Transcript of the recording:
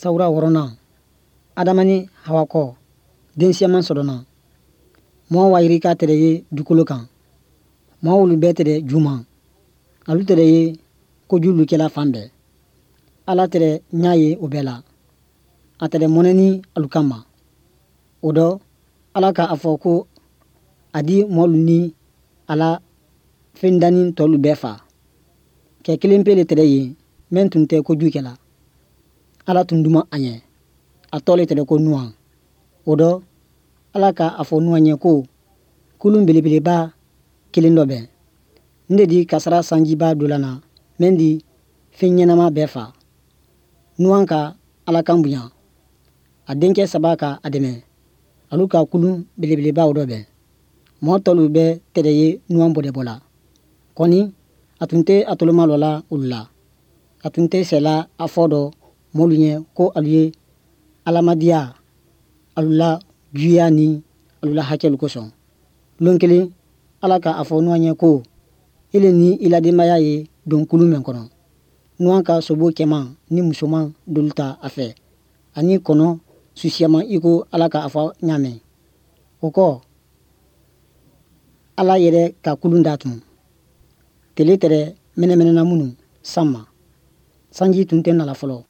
Sawura wɔɔrɔnan, Adama ni Hawa kɔ, den siyaman sɔrɔna. Mɔɔ wayirika tɛrɛ ye dukolo kan. Mɔɔ wolu bɛɛ tɛrɛ juman. Alu tɛrɛ ye kojulu kɛla fan bɛɛ. Ala tɛrɛ ɲa ye o bɛɛ la. A tɛrɛ mɔnɛni alu kanma. O dɔ, Ala ka a fɔ ko a di mɔɔlu ni a la fen dannin tɔlu bɛɛ fa. Kɛ kelen pe le tɛrɛ yen mɛn tun tɛ koju kɛla. Ala tun duman a ɲɛ. A tɔɔ le tɛrɛ ko Nuwan. O dɔ, Ala ka a fɔ Nuwan ɲɛ ko kulun belebeleba kelen dɔbɛn. N de di kasara sanjiba dɔ lana mɛn di fen ɲɛnama bɛɛ fa. Nuwan ka Ala kan bonya. A denkɛ saba ka a dɛmɛ. Alu ka kulun belebelebaw dɔbɛn. Mɔɔ tɔlu bɛɛ tɛrɛ ye Nuwan bɔdɛbɔ la. Kɔni, a tun tɛ a tolomalɔla olu la. A tun tɛ sɛla a fɔ dɔ mɔɔlu ɲɛ ko alu ye Ala madiya alu la juya ni alu la hakɛlu kosɔn. Lon kelen, Ala ka a fɔ Nuwan ɲɛ ko ile ni i la denbaya ye don kulun mɛn kɔnɔ. Nuwan ka sobo cɛman ni musoman dolu ta a fɛ ani kɔnɔ su siyaman i ko Ala ka a fɔ ɲa mɛn. O kɔ, Ala yɛrɛ ka kulun datun. Tele tɛrɛ mɛnɛmɛnɛna minnu san ma. Sanji tun tɛ nala fɔlɔ.